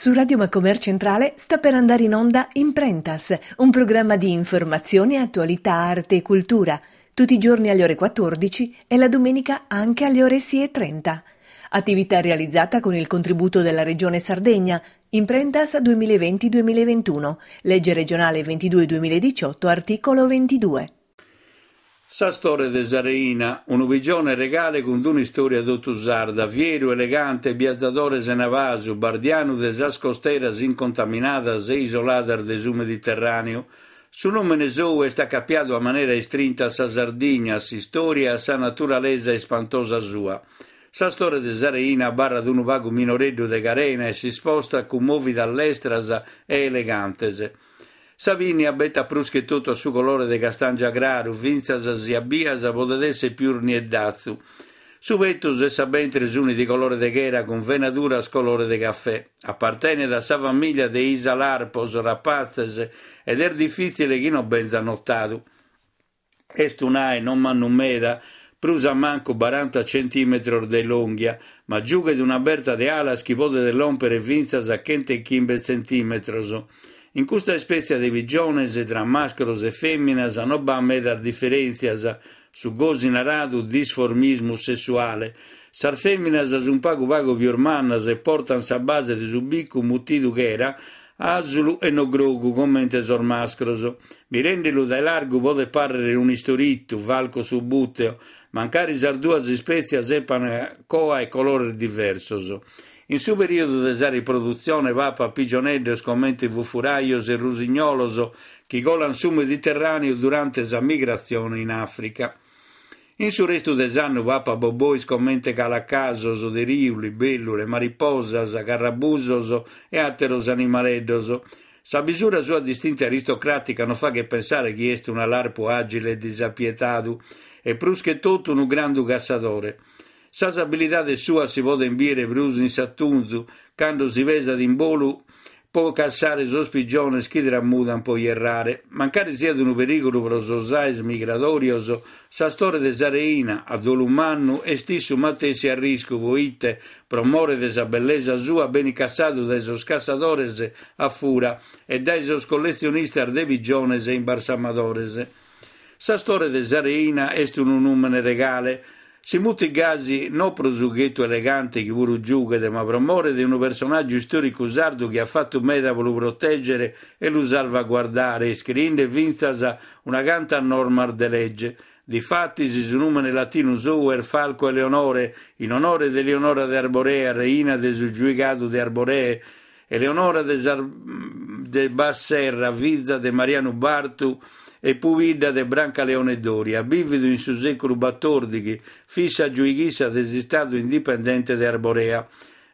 Su Radio Macomer Centrale sta per andare in onda Imprentas, un programma di informazione, attualità, arte e cultura, tutti i giorni alle ore 14 e la domenica anche alle ore 6.30. Attività realizzata con il contributo della Regione Sardegna, Imprentas 2020-2021, legge regionale 22-2018, articolo 22. S'astore de sa reina, unu pigione regale cun d'un'istòria totu sarda, fieru, elegante, biazadore sena pasu, bardianu de sas costeras incontaminadas e isoladas de su Mediterràneu. Su nùmene sou est acapiadu a manera istrinta a sa Sardigna, a s'istòria e a sa naturalesa ispantosa sua. S'astore de sa reina abarrat unu pagu minoreddu de carena e s'ispostat cun mòvidas lestras e elegantes. Sa pinnia betat prus che totu a su colore de castàngia craru, fintzas si a bias podet èssere pius nieddatzu. Su petus e sa bentre sunt de colore de chera cun venaduras colore de cafè. Apartenet a sa famìlia de is alarpos rapatzes ed est difìtzile chi non benzat notadu. Est un'ae non mannu meda, prus a mancu baranta centìmetros de longhia, ma giughet una berta de alas chi podet lòmpere fintzas a chentechimbe tzentìmetros. In custa ispètzia de pigiones, tra mascros e fèminas non b'at medas diferèntzias, su gosi naradu disformismu sessuale. Sas fèminas sunt pagu pagu pius mannas e portant sa base de su bicu mutidu chera, asulu e no grogu comente sos mascros. Mirende-lu dae largu podet pàrrere un'istoritu, Falco subbuteo, mancari sas duas ispètzias epan coa e colores diversos. In su perìodu de sa riprodutzione papat pigioneddos comente fufurajos e rusignolos chi colant su Mediterràneu durante sa migratzione in Àfrica. In su restu de s'annu papat bobois comente calacasos de riu, libèllule, mariposas, carrabusos e àteros animaleddos. Sa bisura sua distinta e aristocràtica non faghet pensare chi est un'alarpu àgile e disapietadu, e prus che totu unu grandu cassadore. Sas abilidades suas si podent bìdere prus in s'atunzu, cando si pesat in bolu pro cassare sos pigiones chi tramudant pro ierrare. Mancari siat unu perìgulu pro sos aes migradòrios, s'astore de sa reina, a dolu mannu, est issu matessi a arriscu proite, pro more de sa bellesa sua, benit cassadu dae sos cassadores a fura e dae sos colletzionistas de pigiones e imbarsamadores. S'astore de sa reina est unu nùmene regale. Si mutit gasi no pro su ghetu elegante chi puru giughet, ma pro more de unu personàgiu istòricu sardu chi at fatu meda pro lu protègere e lu salvaguardare, iscriende fintzas una canta normas de lege. Difatis, su nùmene latinu sou est Falco Eleonorae, in onore de Eleonora de Arborea, reina de su giuigadu de Arboree, Eleonora de sas de Bas-Serra, fiza de Marianu Bartu e pubidda de Brancaleone Doria, bìvidu in su sèculu batòrdighi, fit sa giuighissa de s'istadu indipendente de Arborea.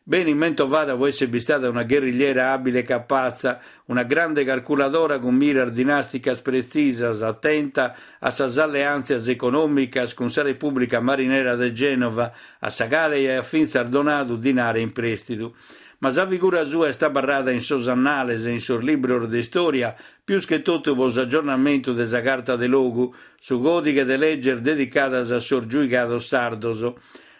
Benit mentovada pro èssere bistada una gherrigliera àbile e capatza, una grande carculadora cun miras dinàsticas pretzisas, atenta a sas alleàntzias econòmicas cun sa Repùblica Marinera de Gènova, a sa cale aiat fintzas donadu dinare in prèstidu. Ma sa figura sua est abarrada in sos annales e in sos libros de istòria, pius che totu pro s'agiornamentu de sa Carta de Logu, su còdighe de leges dedicadas a sos giuigados sardos.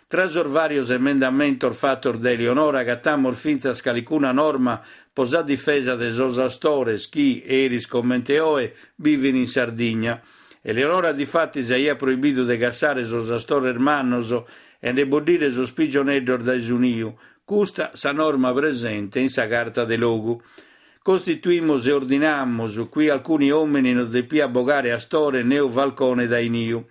Tra sos vàrios emendamentos fatos dae Eleonora agatamus fintzas calicuna norma pro sa difesa de sos astores chi, eris comente oe, bivin in Sardigna. Eleonora difatis aiat proibidu de cassare sos astores mannos e nde boddire sos pigioneddos dae su niu, Custa sa norma presente in sa Carta de Logu. Costituimus e ordinamus qui alcuni homini no depiat bogare astore neu falcone dae niu.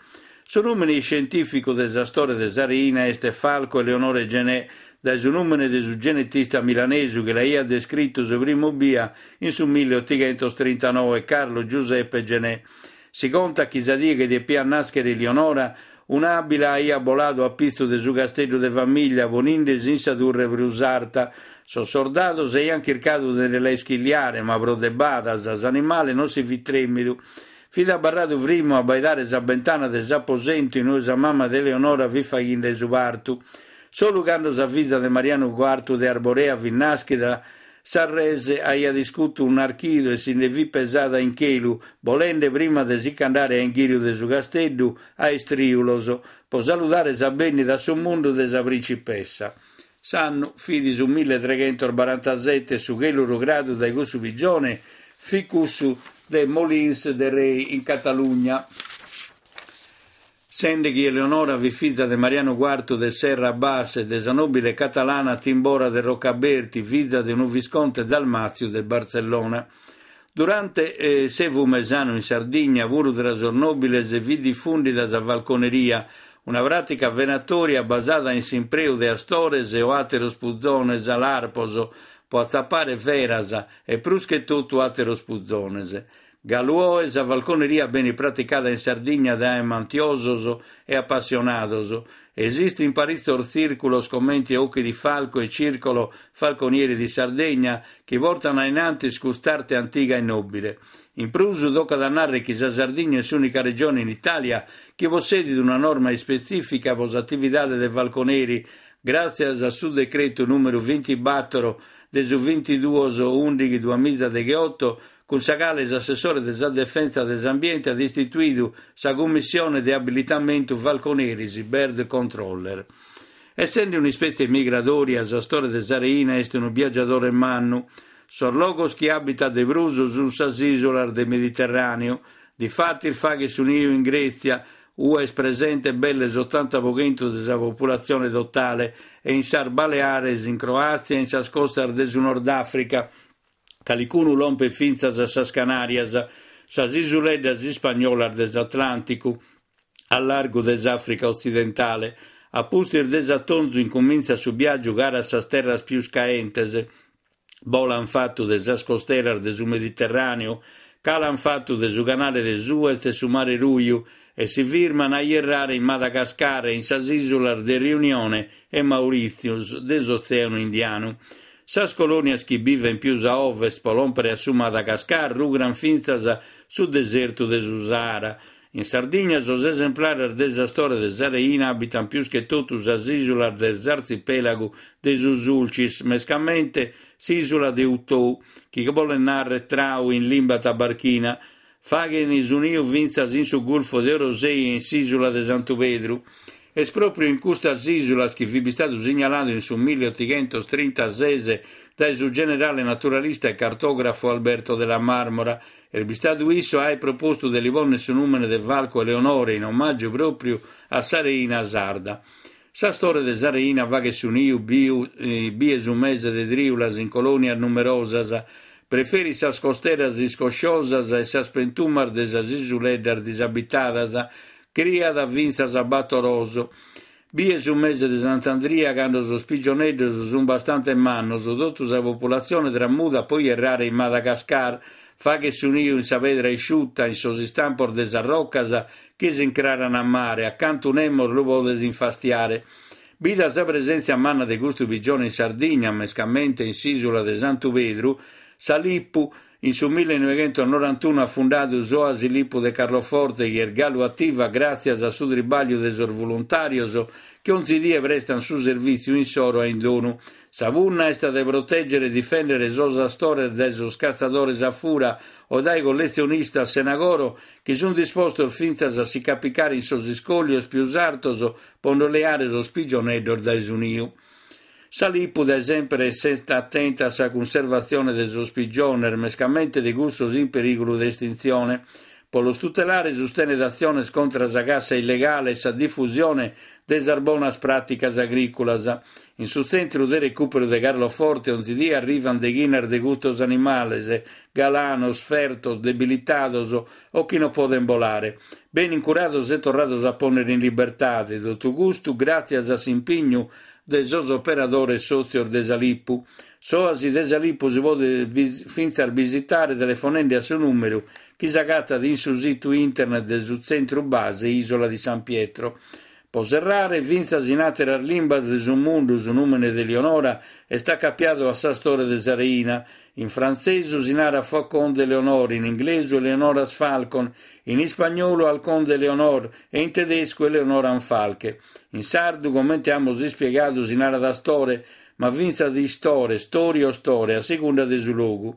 Su nùmene iscientìficu de s'astore de sa reina est Falco Eleonorae Genée, dae su nùmene de su genetista milanesu chi l'aiat descritu su primu bia in su milliottighentostrintanòe, Carlo Giuseppe Genée. Si contat chi sa die chi depiat nàschere Elionora, un'àbila aiat boladu a pitzu de su casteddu de famìllia ponindesi in sa turre prus arta. Sos sordados aiant chircadu de nde la ischilliare, ma pro de badas s'animale non si fit trèmidu. Fit abarradu frimu a abbaidare sa bentana de s'aposentu in ue sa mama de Eleonora fit faghende su partu. Solu cando sa fiza de Marianu Cuartu de Arborea fit nàschida, Sa rese aiat iscutu un'archidu e si nde fit pesada in chelu, bolende prima de si ch'andare a inghìriu de su casteddu, a istrìulos, pro saludare sa bènnida a su mundu de sa principessa. S'annu fit su milletreghentosbarantasete e su chelu rugradu dae cussu pigione fit cussu de Molins de Rei in Catalugna. Sende chi Eleonora fit fiza de Marianu Cuartu de Serra Bas e de sa nòbile catalana Timbora de Rocaberti, fiza de unu visconte Dalmàtziu de Bartzellona. Durante s'Evu Mesanu in Sardigna, puru tra sos nòbiles fit difùndida sa falconeria, una pràtica venatòria basada in s'impreu de astores o àteros puzones alarpos pro atzapare feras e prus che totu àteros puzones. Galu oe sa falconeria benit praticada in Sardigna dae amantiosos e apassionados. Esistint paritzos tzìrculos comente Occhi di Falco e Circolo Falconieri di Sardegna chi portant a in antis cust'arte antiga e nòbile. In prus tocat a nàrrere chi sa Sardigna est s'ùnica regione in Itàlia chi possedit una norma ispetzìfica pro s'atividade de falconeri, gràtzias a su decretu nùmeru bintibator de su bintiduos ùndighi duamizadegheoto cun sa cale s'assessore de sa Defensa de s'Ambiente at istituidu sa Cummissione de Abilitamentu Falconeris, Bird Controller. Essende un'ispètzie migradòria, s'astore de sa reina est unu biagiadore mannu. Sos logos chi abitat de prus sunt sas ìsulas de Mediterràneu. Difatis faghet su niu in Grètzia, ue est presente belle s'otanta pro chentu de sa populatzione totale, e in sas Baleares, in Croàtzia e in sas costas de su Nord Àfrica. Calicunu lompet fintzas a sas Canàrias, sas isuleddas ispagnolas de s'Atlànticu, a largu de s'Àfrica otzidentale. A pustis de s'atonzu incumintzat su biàgiu cara a sas terras pius caentes. Bolan fatu de sas costeras de su Mediterràneu, calan fatu de su canale de Suez e su Mare Ruju e si firman a ierrare in Madagascar e in sas ìsulas de Riunione e Maurìtzius de s'Otzèanu Indianu. Sas colònias chi bivent pius a ovest pro lòmpere a su Madagascar rugran fintzas su desertu de su Sahara. In Sardigna sos esemplares de s'astore de sa reina abitant pius che totu sas ìsulas de s'artzipèlagu de su Sulcis, mescamente s'ìsula de Utou, chi bolet nàrrere trau in limba tabarchina. Faghen su niu fintzas in su Gulfo de Orosei e in s'ìsula de Santu Pedru. Est pròpriu in custas ìsulas chi fit bistadu signaladu in su milliotighentos-trintases dae su generale naturalista e cartògrafu Alberto della Marmora. Est bistadu issu a aer propostu de li pònnere su nùmene de Falco Eleonore in omàgiu pròpriu a sa reina sarda. S'astore de sa reina faghet su niu biu bie su mese de trìulas in colònias numerosas. Preferit sas costeras iscosciosas e sas pentumas de sas isuleddas disabitadas. Criat fintzas a bator ôs. Bie su mese de Sant'Andria, cando sos pigioneddos sunt bastante mannos, totu sa populatzione tramudat pro ierrare in Madagascar. Faghet su niu in sa pedra isciuta, in sos istampos de sas rocas chi s'incraran a mare, a cantu nemos lu podet infastiare. Bida sa presèntzia manna de custu pigione in Sardigna, mescamente in s'ìsula de Santu Pedru, sa Lipu, in su millenoighentosnorantunu at fundadu s'Oasi Lipu de Carloforte chi est galu ativa gràtzias a su tribàgliu de sos voluntàrios chi onzi die prestant su servìtziu insoro a indonu. Sa punna est de protègere e difèndere sos astores dae sos catzadores a fura o dae colletzionistas sena coro chi sunt dispostos fintzas a si capicare in sos iscòllios pius artos pro nde leare sos pigioneddos dae su niu. Sa Lipu dae semper est atenta a sa cunservatzione de sos pigiones, mescamente de cussos in perìgulu de estintzione. Pro los tutelare sustenet atziones contra sa cassa illegale e sa difusione de sas bonas pràticas agrìculas. In su tzentru de recùperu de Carloforte onzi die arrivant deghinas de custos animales, galanos, fertos, debilitados o chi non podent bolare. Benint curados e torrados a pònnere in libertade, totu custu gràtzias a s'impignu de sos operadores sòtzios de sa Lipu. S'Oasi de sa Lipu si podet fintzas bisitare telefonende a su nùmeru chi s'agatat in su situ internet de su Tzentru Base Isola di San Pietro. Pro serrare, fintzas in àteras limbas de su mundu su nùmene de Lionora est acapiadu a s'astore de sa reina. In frantzesu si narat Faucon de Léonore, in inglesu Eleonora's Falcon, in ispagnolu Halcón de Leonor e in tedescu Eleonorenfalke. In sardu, comente amus ispiegadu, si narat astore, ma fintzas istore, stori o store, a segunda de su logu.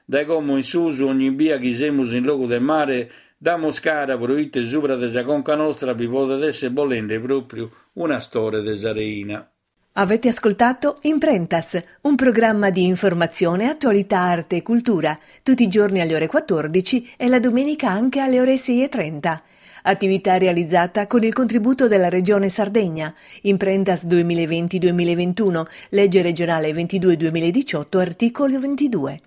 Dae como in susu, ogni bia chi semus in logu de mare, damus cara pro ite subra de sa conca nostra bi podet èssere bolende pròpriu un'astore de sa reina. Avete ascoltato Imprentas, un programma di informazione, attualità, arte e cultura, tutti i giorni alle ore 14 e la domenica anche alle ore 6.30. Attività realizzata con il contributo della Regione Sardegna. Imprentas 2020-2021, legge regionale 22-2018, articolo 22.